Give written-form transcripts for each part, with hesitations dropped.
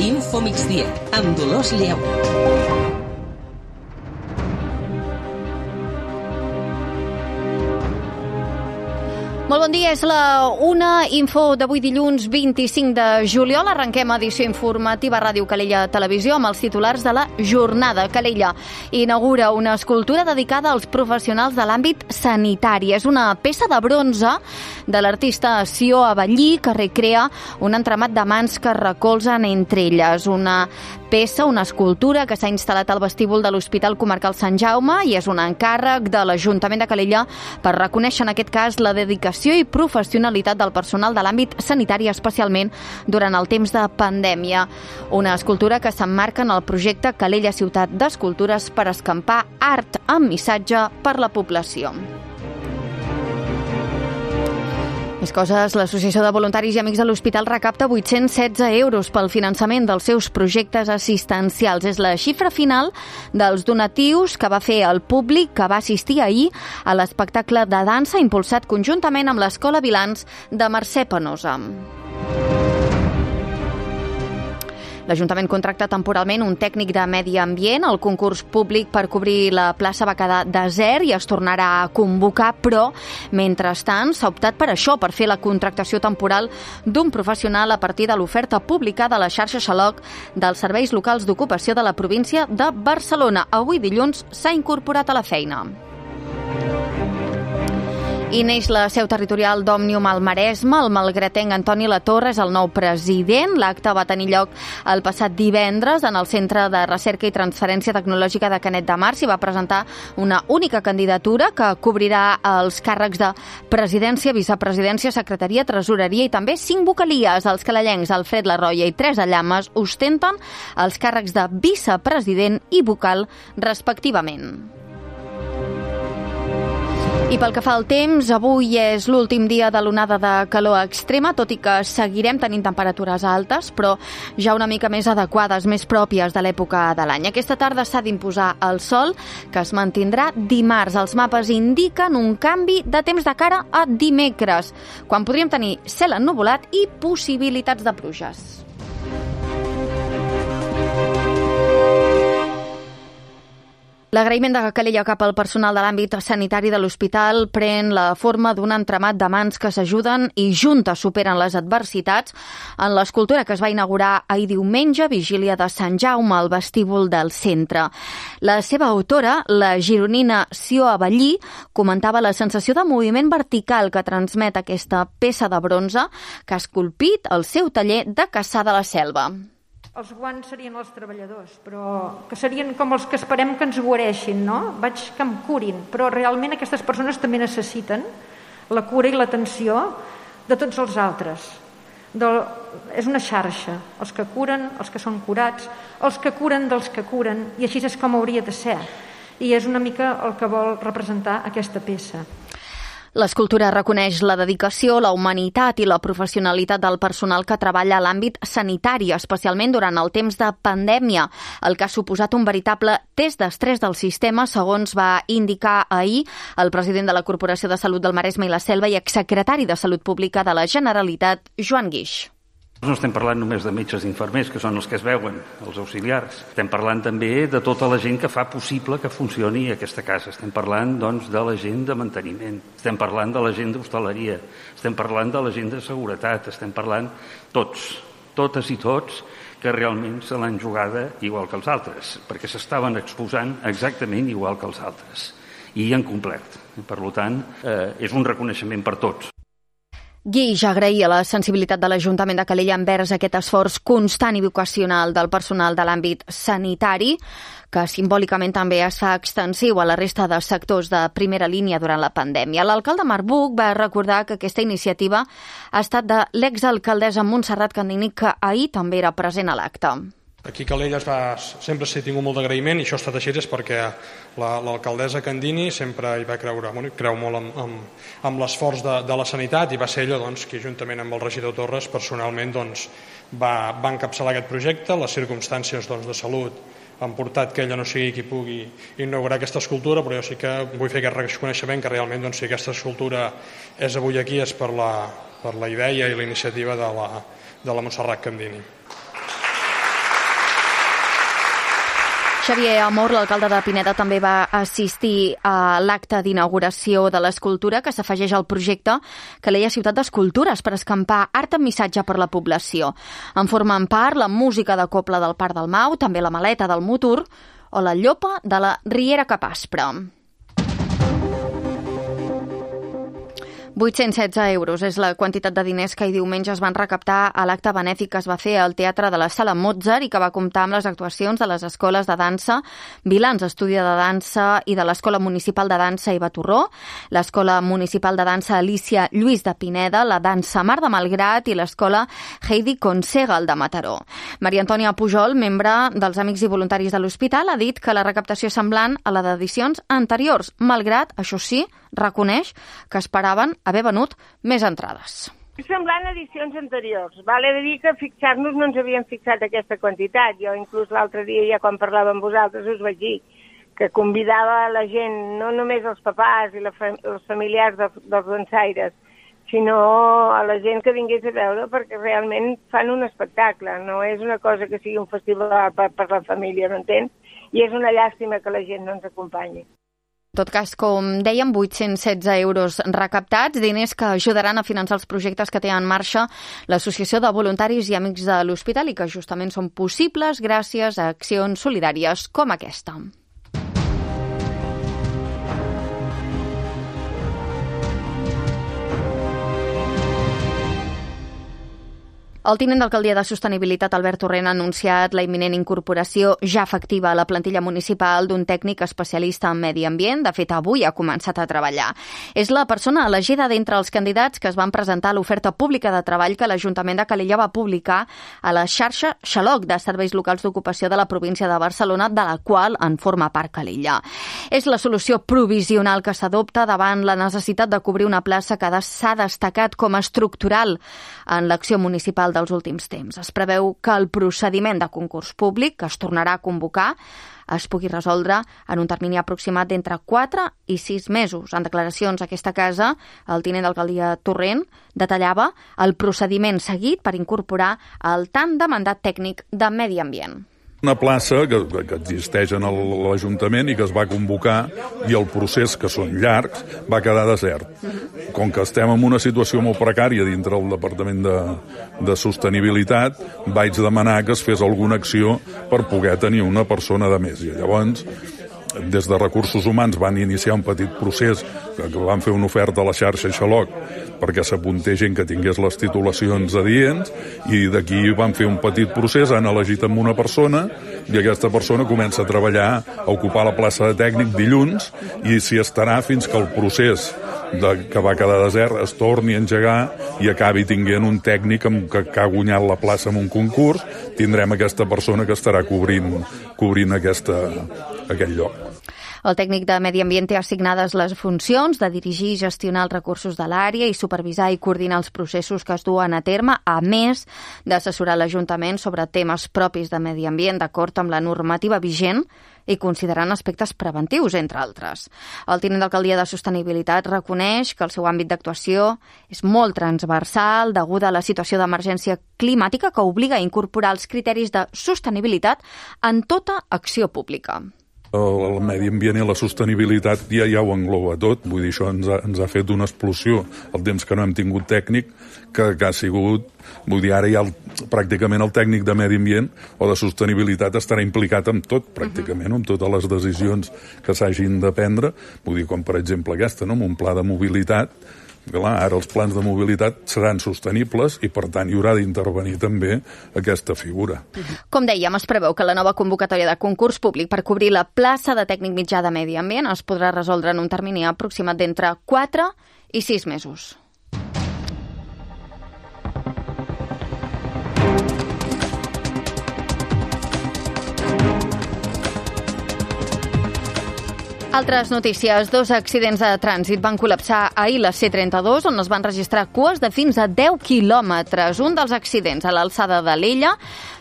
Info Migdia, amb Dolors Lleu. Molt bon dia, és la 1, info d'avui dilluns 25 de juliol. Arrenquem edició informativa Ràdio Calella Televisió amb els titulars de la jornada. Calella inaugura una escultura dedicada als professionals de l'àmbit sanitari. És una peça de bronze de l'artista Sió Avellí que recrea un entramat de mans que recolzen entre elles. Una peça, una escultura que s'ha instal·lat al vestíbul de l'Hospital Comarcal Sant Jaume i és un encàrrec de l'Ajuntament de Calella per reconèixer en aquest cas la dedicació i professionalitat del personal de l'àmbit sanitari, especialment durant el temps de pandèmia. Una escultura que s'emmarca en el projecte Calella Ciutat d'Escultures per escampar art amb missatge per la població. Més coses, l'Associació de Voluntaris i Amics de l'Hospital recapta 816 euros pel finançament dels seus projectes assistencials. És la xifra final dels donatius que va fer el públic que va assistir ahir a l'espectacle de dansa impulsat conjuntament amb l'Escola Vilans de Mercè Penosa. L'Ajuntament contracta temporalment un tècnic de medi ambient. El concurs públic per cobrir la plaça va quedar desert i es tornarà a convocar, però, mentrestant, s'ha optat per això, per fer la contractació temporal d'un professional a partir de l'oferta publicada a la xarxa Xaloc dels serveis locals d'ocupació de la província de Barcelona. Avui dilluns s'ha incorporat a la feina. I neix la seu territorial d'Òmnium al Maresme. El malgrateng Antoni Latorre és el nou president. L'acte va tenir lloc el passat divendres en el Centre de Recerca i Transferència Tecnològica de Canet de Mar. S'hi va presentar una única candidatura que cobrirà els càrrecs de presidència, vicepresidència, secretaria, tresoreria i també 5 vocalies. Els calellencs Alfred Larroia i Teresa Llames ostenten els càrrecs de vicepresident i vocal respectivament. I pel que fa al temps, avui és l'últim dia de l'onada de calor extrema, tot i que seguirem tenint temperatures altes, però ja una mica més adequades, més pròpies de l'època de l'any. Aquesta tarda s'ha d'imposar el sol, que es mantindrà dimarts. Els mapes indiquen un canvi de temps de cara a dimecres, quan podríem tenir cel ennuvolat i possibilitats de pluges. L'agraïment de Calella cap al personal de l'àmbit sanitari de l'hospital pren la forma d'un entramat de mans que s'ajuden i juntes superen les adversitats en l'escultura que es va inaugurar ahir diumenge, vigília de Sant Jaume, al vestíbul del centre. La seva autora, la gironina Sió Avellí, comentava la sensació de moviment vertical que transmet aquesta peça de bronze que ha esculpit al seu taller de Cassà de la Selva. Els guants serien els treballadors, però que serien com els que esperem que ens guareixin, no? Vaig que em curin, però realment aquestes persones també necessiten la cura i l'atenció de tots els altres. És una xarxa, els que curen, els que són curats, els que curen dels que curen, i així és com hauria de ser. I és una mica el que vol representar aquesta peça. L'escultura reconeix la dedicació, la humanitat i la professionalitat del personal que treballa a l'àmbit sanitari, especialment durant el temps de pandèmia, el que ha suposat un veritable test d'estrès del sistema, segons va indicar ahir el president de la Corporació de Salut del Maresme i la Selva i exsecretari de Salut Pública de la Generalitat, Joan Guix. No estem parlant només de metges i infermers, que són els que es veuen, els auxiliars. Estem parlant també de tota la gent que fa possible que funcioni aquesta casa. Estem parlant, doncs, de la gent de manteniment. Estem parlant de la gent d'hostaleria. Estem parlant de la gent de seguretat. Estem parlant tots, totes i tots, que realment se l'han jugada igual que els altres, perquè s'estaven exposant exactament igual que els altres. I han complert. Per tant, és un reconeixement per tots. Guix agraïa la sensibilitat de l'Ajuntament de Calella envers aquest esforç constant i vocacional del personal de l'àmbit sanitari, que simbòlicament també es fa extensiu a la resta de sectors de primera línia durant la pandèmia. L'alcalde Marc Buch va recordar que aquesta iniciativa ha estat de l'exalcaldessa Montserrat Candini, que ahir també era present a l'acte. Aquí a Calella sempre s'ha tingut molt d'agraïment, i això ha estat així és perquè l'alcaldessa Candini sempre hi va creure, creu molt amb l'esforç de la sanitat, i va ser ella qui juntament amb el regidor Torres personalment va encapçalar aquest projecte. Les circumstàncies de salut han portat que ella no sigui qui pugui inaugurar aquesta escultura, però jo sí que vull fer aquest reconeixement que realment si aquesta escultura és avui aquí és per la idea i la iniciativa de la Montserrat Candini. Xavier Amor, l'alcalde de Pineda, també va assistir a l'acte d'inauguració de l'escultura que s'afegeix al projecte Calella Ciutat d'Escultures per escampar art amb missatge per la població. En formen part la música de cobla del Parc del Mau, també la maleta del Motor o la llopa de la Riera Capaspra. 816 euros és la quantitat de diners que ahir diumenge es van recaptar a l'acte benèfic que es va fer al Teatre de la Sala Mozart i que va comptar amb les actuacions de les escoles de dansa Vilans Estudi de Dansa i de l'Escola Municipal de Dansa Iva Torró, l'Escola Municipal de Dansa Alicia Lluís de Pineda, la Dansa Mar de Malgrat i l'Escola Heidi Consegal de Mataró. Maria Antònia Pujol, membre dels Amics i Voluntaris de l'Hospital, ha dit que la recaptació és semblant a la d'edicions anteriors, malgrat, això sí, reconeix que esperaven haver venut més entrades. Semblant a edicions anteriors. Val a dir que fixar-nos no ens havíem fixat aquesta quantitat. Jo inclús l'altre dia, ja quan parlava amb vosaltres, us vaig dir que convidava la gent, no només els papàs i els familiars dels dansaires, sinó a la gent que vingués a veure, perquè realment fan un espectacle. No és una cosa que sigui un festival per la família, no entens? I és una llàstima que la gent no ens acompanyi. En tot cas, com dèiem, 816 euros recaptats, diners que ajudaran a finançar els projectes que té en marxa l'Associació de Voluntaris i Amics de l'Hospital i que justament són possibles gràcies a accions solidàries com aquesta. El tinent d'alcaldia de Sostenibilitat, Albert Torrent, ha anunciat la imminent incorporació ja efectiva a la plantilla municipal d'un tècnic especialista en medi ambient. De fet, avui ha començat a treballar. És la persona elegida d'entre els candidats que es van presentar a l'oferta pública de treball que l'Ajuntament de Calella va publicar a la xarxa Xaloc de serveis locals d'ocupació de la província de Barcelona, de la qual en forma part Calella. És la solució provisional que s'adopta davant la necessitat de cobrir una plaça que s'ha destacat com a estructural en l'acció municipal dels últims temps. Es preveu que el procediment de concurs públic que es tornarà a convocar es pugui resoldre en un termini aproximat d'entre 4 i 6 mesos. En declaracions a aquesta casa, el tinent d'alcaldia Torrent detallava el procediment seguit per incorporar el tan demandat tècnic de medi ambient. Una plaça que existeix en l'Ajuntament i que es va convocar i el procés, que són llargs, va quedar desert. Com que estem en una situació molt precària dintre del Departament de Sostenibilitat, vaig demanar que es fes alguna acció per poder tenir una persona de més. I llavors, des de Recursos Humans van iniciar un petit procés que van fer una oferta a la xarxa Xaloc perquè s'apuntés gent que tingués les titulacions adients i d'aquí van fer un petit procés, han elegit amb una persona i aquesta persona comença a treballar, a ocupar la plaça de tècnic dilluns i s'hi estarà fins que el procés que va quedar desert es torni a engegar i acabi tinguent un tècnic que ha guanyat la plaça en un concurs, tindrem aquesta persona que estarà cobrint aquell lloc. El tècnic de Medi Ambient té assignades les funcions de dirigir i gestionar els recursos de l'àrea i supervisar i coordinar els processos que es duen a terme, a més d'assessorar l'Ajuntament sobre temes propis de medi ambient d'acord amb la normativa vigent i considerant aspectes preventius, entre altres. El tinent d'alcaldia de Sostenibilitat reconeix que el seu àmbit d'actuació és molt transversal deguda a la situació d'emergència climàtica que obliga a incorporar els criteris de sostenibilitat en tota acció pública. El medi ambient i la sostenibilitat ja ho engloba tot, vull dir, això ens ha fet una explosió el temps que no hem tingut tècnic, que ha sigut, vull dir, ara ja pràcticament el tècnic de medi ambient o de sostenibilitat estarà implicat en tot, pràcticament, amb totes les decisions que s'hagin de prendre, vull dir, com per exemple aquesta, no? Amb un pla de mobilitat. Clar, ara els plans de mobilitat seran sostenibles i, per tant, hi haurà d'intervenir també aquesta figura. Com dèiem, es preveu que la nova convocatòria de concurs públic per cobrir la plaça de tècnic mitjà de medi ambient es podrà resoldre en un termini aproximat d'entre 4 i 6 mesos. Altres notícies. 2 accidents de trànsit van col·lapsar ahir la C32, on es van registrar cues de fins a 10 quilòmetres. Un dels accidents a l'alçada de l'Ella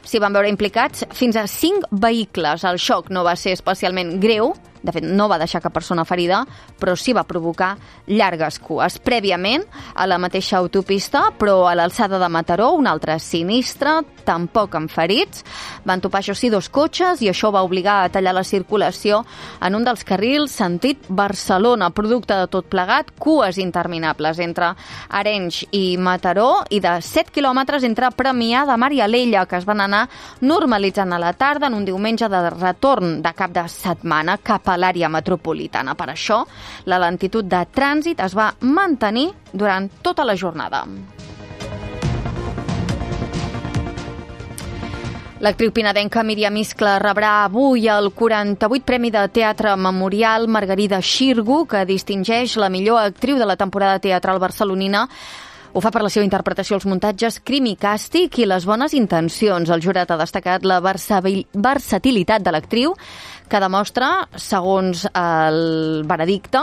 s'hi van veure implicats fins a 5 vehicles. El xoc no va ser especialment greu De fet, no va deixar cap persona ferida, però sí va provocar llargues cues. Prèviament, a la mateixa autopista, però a l'alçada de Mataró, un altre sinistre, tampoc amb ferits. Van topar, això sí, 2 cotxes i això va obligar a tallar la circulació en un dels carrils sentit Barcelona, producte de tot plegat, cues interminables entre Arenys i Mataró i de 7 quilòmetres entre Premià de Mar i Alella, que es van anar normalitzant a la tarda en un diumenge de retorn de cap de setmana cap a l'àrea metropolitana. Per això, la lentitud de trànsit es va mantenir durant tota la jornada. L'actriu pinadenca Míriam Iscla rebrà avui el 48 Premi de Teatre Memorial Margarida Xirgu, que distingeix la millor actriu de la temporada teatral barcelonina. Ho fa per la seva interpretació als muntatges Crim i Càstig i les bones intencions. El jurat ha destacat la versatilitat de l'actriu, que demostra, segons el veredicte,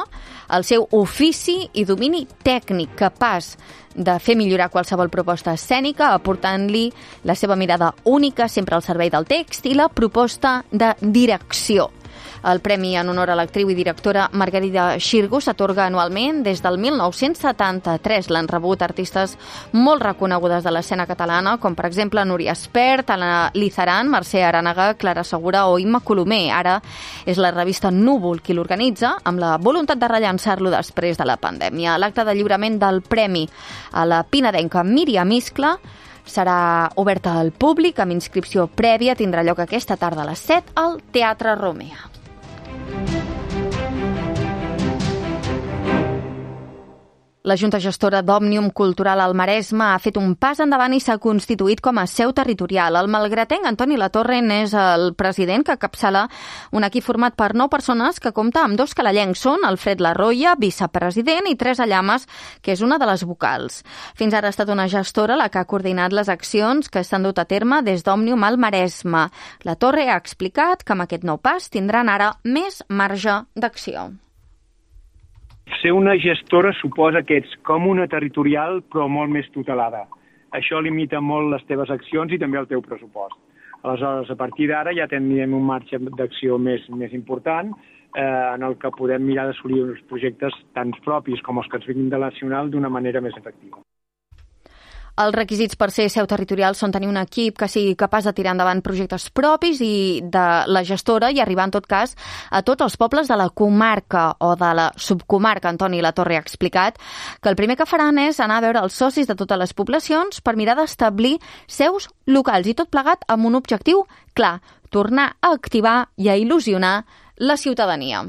el seu ofici i domini tècnic, capaç de fer millorar qualsevol proposta escènica, aportant-li la seva mirada única, sempre al servei del text, i la proposta de direcció. El premi en honor a l'actriu i directora Margarida Xirgu s'atorga anualment des del 1973. L'han rebut artistes molt reconegudes de l'escena catalana, com per exemple Núria Espert, Anna Lizaran, Mercè Arànega, Clara Segura o Imma Colomer. Ara és la revista Núvol qui l'organitza, amb la voluntat de rellançar-lo després de la pandèmia. L'acte de lliurament del premi a la pinadenca Míriam Iscla serà oberta al públic amb inscripció prèvia. Tindrà lloc aquesta tarda a les 7 al Teatre Romea. La Junta Gestora d'Òmnium Cultural al Maresme ha fet un pas endavant i s'ha constituït com a seu territorial. El malgratenc Antoni Latorre és el president que encapçala un equip format per 9 persones que compta amb 2 calellencs. Són Alfred Larroia, vicepresident, i Teresa Llames, que és una de les vocals. Fins ara ha estat una gestora la que ha coordinat les accions que s'han dut a terme des d'Òmnium al Maresme. Latorre ha explicat que amb aquest nou pas tindran ara més marge d'acció. Ser una gestora suposa que ets com una territorial, però molt més tutelada. Això limita molt les teves accions i també el teu pressupost. Aleshores, a partir d'ara ja tindrem un marge d'acció més important en el que podem mirar d'assolir uns projectes tant propis com els que ens vinguin de la nacional d'una manera més efectiva. Els requisits per ser seu territorial són tenir un equip que sigui capaç de tirar endavant projectes propis i de la gestora i arribar, en tot cas, a tots els pobles de la comarca o de la subcomarca. Antoni Latorre ha explicat que el primer que faran és anar a veure els socis de totes les poblacions per mirar d'establir seus locals i tot plegat amb un objectiu clar, tornar a activar i a il·lusionar la ciutadania.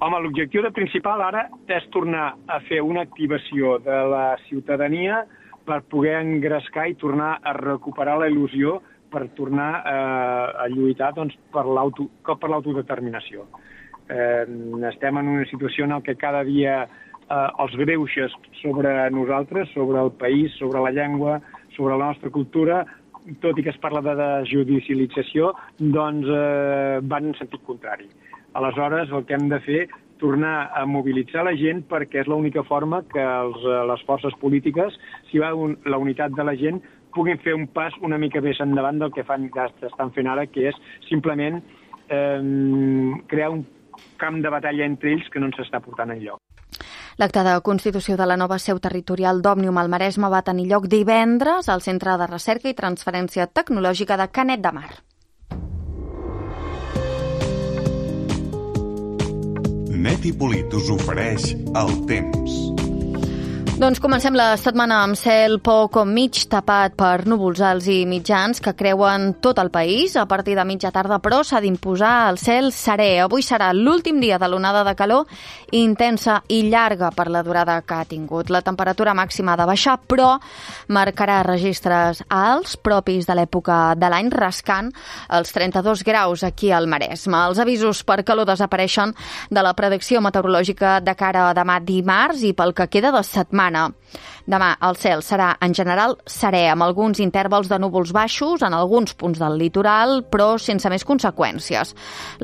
Home, l'objectiu principal ara és tornar a fer una activació de la ciutadania per poder engrescar i tornar a recuperar la il·lusió per tornar a lluitar per l'autodeterminació. Estem en una situació en què cada dia els greuges sobre nosaltres, sobre el país, sobre la llengua, sobre la nostra cultura, tot i que es parla de desjudicialització, doncs van en sentit contrari. Aleshores, el que hem de fer tornar a mobilitzar la gent perquè és l'única forma que les forces polítiques, si va la unitat de la gent, puguin fer un pas una mica més endavant del que estan fent ara, que és simplement crear un camp de batalla entre ells que no ens està portant enlloc. L'acte de constitució de la nova seu territorial d'Òmnium al Maresme va tenir lloc divendres al Centre de Recerca i Transferència Tecnològica de Canet de Mar. Neti Polit us ofereix el temps. Doncs comencem la setmana amb cel poc o mig tapat per núvols alts i mitjans que creuen tot el país. A partir de mitja tarda, però, s'ha d'imposar el cel serè. Avui serà l'últim dia de l'onada de calor intensa i llarga per la durada que ha tingut. La temperatura màxima ha de baixar, però marcarà registres alts propis de l'època de l'any, rascant els 32 graus aquí al Maresme. Els avisos per calor desapareixen de la predicció meteorològica de cara a demà dimarts i pel que queda de setmana. Demà el cel serà en general serè, amb alguns intervals de núvols baixos en alguns punts del litoral, però sense més conseqüències.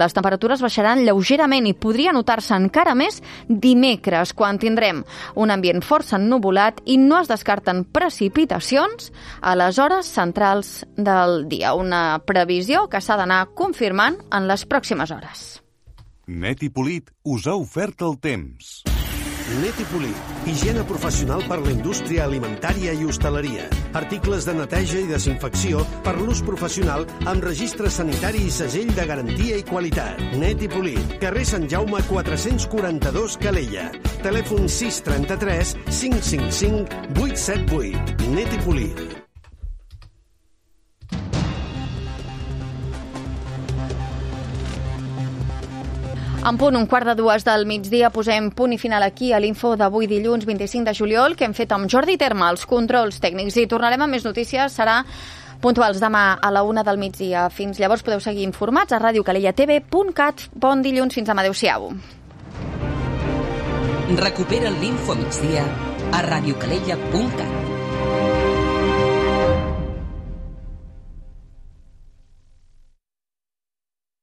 Les temperatures baixaran lleugerament i podria notar-se encara més dimecres, quan tindrem un ambient força ennuvolat i no es descarten precipitacions a les hores centrals del dia. Una previsió que s'ha d'anar confirmant en les pròximes hores. Net i Polit us ha ofert el temps. Net i Polit, higiene professional per la indústria alimentària i hostaleria. Articles de neteja i desinfecció per l'ús professional amb registre sanitari i segell de garantia i qualitat. Net i Polit, carrer Sant Jaume 442 Calella. Telèfon 633 555 878. Net i Polit. En punt, 1:15 del migdia, posem punt i final aquí a l'info d'avui dilluns 25 de juliol que hem fet amb Jordi Terma, els controls tècnics. I tornarem amb més notícies, serà puntuals demà a la 1 del migdia. Fins llavors podeu seguir informats a radiocalellatv.cat. Bon dilluns, fins demà, adeu-siau. Recupera l'Info Migdia a radiocalella.cat.